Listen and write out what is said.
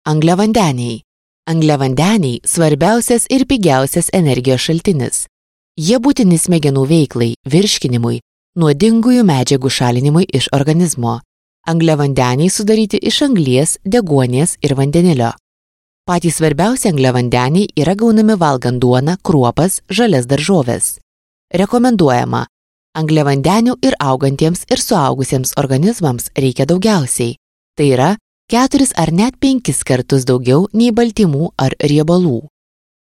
Angliavandeniai. Angliavandeniai svarbiausias ir pigiausias energijos šaltinis. Jie būtini smegenų veiklai, virškinimui, nuodingųjų medžiagų šalinimui iš organizmo. Angliavandeniai sudaryti iš anglies, deguonies ir vandenilio. Patys svarbiausi angliavandeniai yra gaunami valgant duoną, kruopas, žalias daržoves. Rekomenduojama: angliavandenių ir augantiems ir suaugusiems organizmams reikia daugiausiai. Tai yra 4 ar net 5 kartus daugiau nei baltymų ar riebalų.